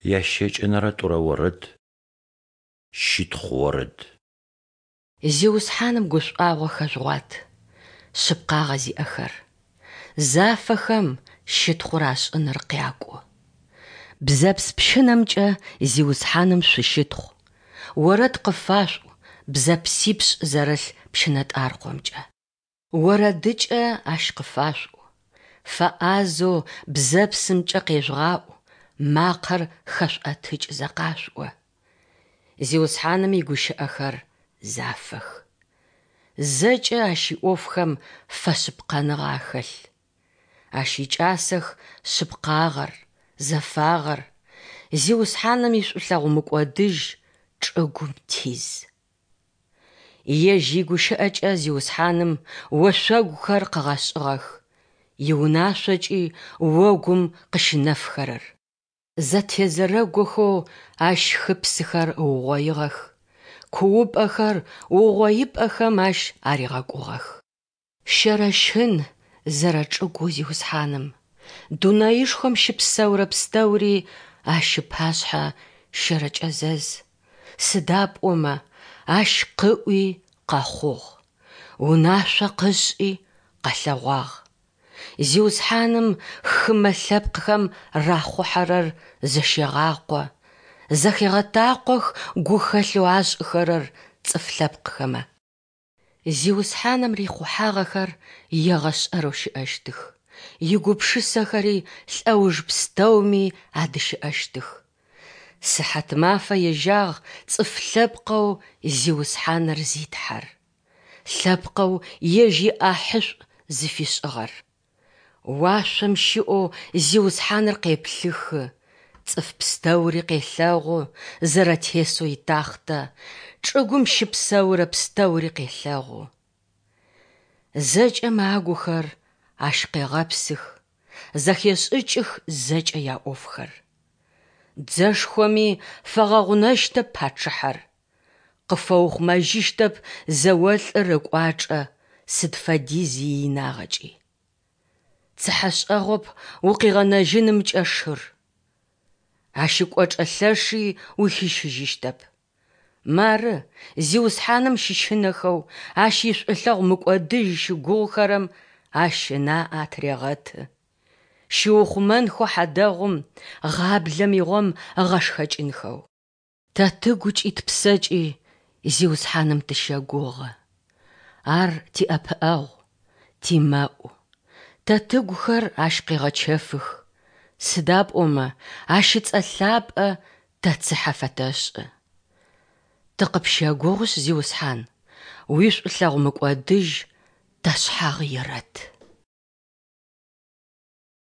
Ящэкӏэнэрэ тӏурэ орэд. Щытхъу орэд. Зиусхьаным гушӏуагъо хэжъугъуат, шъыпкъагъэ зиӏэхэр. Зафэхэм щытхъур ашӏыныр къякӏу. Бзэпс пщынэмкӏэ Зиусхьаным шъущытхъу, орэд къыфашъуӏу бзэпсипшӏ зэрылъ пщынэтӏаркъомкӏэ. Орэдыкӏэ ащ къыфашъуӏу, фэӏазэу бзэпсымкӏэ къежъугъаӏу, макъэр хэшъуӏэтыкӏзэ къашъуӏо. Зиусхьаным игущыӏэхэр зафэх. Зэкӏэ ащ иӏофхэм фэшъыпкъэныгъэ ахэлъ. Ащ икӏасэх шъыпкъагъэр, зэфагъэр, Зиусхьаным ишӏулъэгъу мыкӏодыжь чӏыгум тиз. Ежь игущыӏэкӏэ Зиусхьаным ошъогухэр къыгъэшӏыгъэх, иунашъокӏи огум къыщынэфхэрэр. Зэтезэрэгохэу ащ хыпсыхэр ыугъоигъэх, куупӏэхэр угъоипӏэхэм ащ аригъэкӏугъэх. Щэрэщын зэрэчӏыгоу Зиусхьаным, дунаишхом щыпсэурэ пстэури Ащ ыпашъхьэ щэрэкӏэзэз, сыда пӏомэ Ащ къыӏуи къэхъугъ, унашъо къышӏи къэлъэгъуагъ. Зиусхьаным хымэ лъэпкъхэм рахъухьэрэр зэщегъакъо, зэхегъэтакъох гухэлъэу ашӏыхэрэр цӏыф лъэпкъхэмэ. Зиусхьаным рихъухьагъэхэр егъэшӏэрэу щыӏэщтых, игупшысэхэри лӏэуж пстэуми адыщыӏэщтых. Сыхьатмафэ ежьагъ цӏыф лъэпкъэу Зиусхьаныр зи Тхьэр, лъэпкъэу Ежь иӏахьышӏу зыфишӏыгъэр. Уашъом щыӏэу Зиусхьаныр къеплъыхы, цӏыф пстэури къелъэгъу, зэрэтесэу итахътэ, чӏыгум щыпсэурэ пстэури къелъэгъу. Зэкӏэм агухэр Ащ къегъэпсых, зэхешӏыкӏых зэкӏэ яӏофхэр. Дзэшхоми фэгъэгъунэщтэп пачъыхьэр, къыфэухъумэжьыщтэп зэолӏыр ыкӏуачӏэ сыд фэдиз иинагъэкӏи. Цыхьэшӏэгъоп укъигъэнэжьынымкӏэ шыр. Ащ ыкӏочӏэ лъэши ухищыжьыщтэп. Мары, Зиусхьаным щыщынэхэу, Ащ ишӏулъэгъу мыкӏодыжь щыгугъухэрэм Ащ ынаӏэ атырегъэты. Щиухъумэнхэу хьадэгъум, гъаблэм игъом ыгъэшхэкӏынхэу. Тэ тыгукӏи тпсэкӏи Зиусхьаным тыщэгугъы. Ар тиӏэпыӏэгъу, тимэӏу. Тэ тыгухэр Ащ къегъэчэфых, сыда пӏомэ Ащ ыцӏэ лъапӏэ тэ цыхьэ фэтэшӏы. Тыкъыпщэгугъышъ, Зиусхьан, уишӏулъэгъу мыкӏодыжь ташъхьагъ ерэт.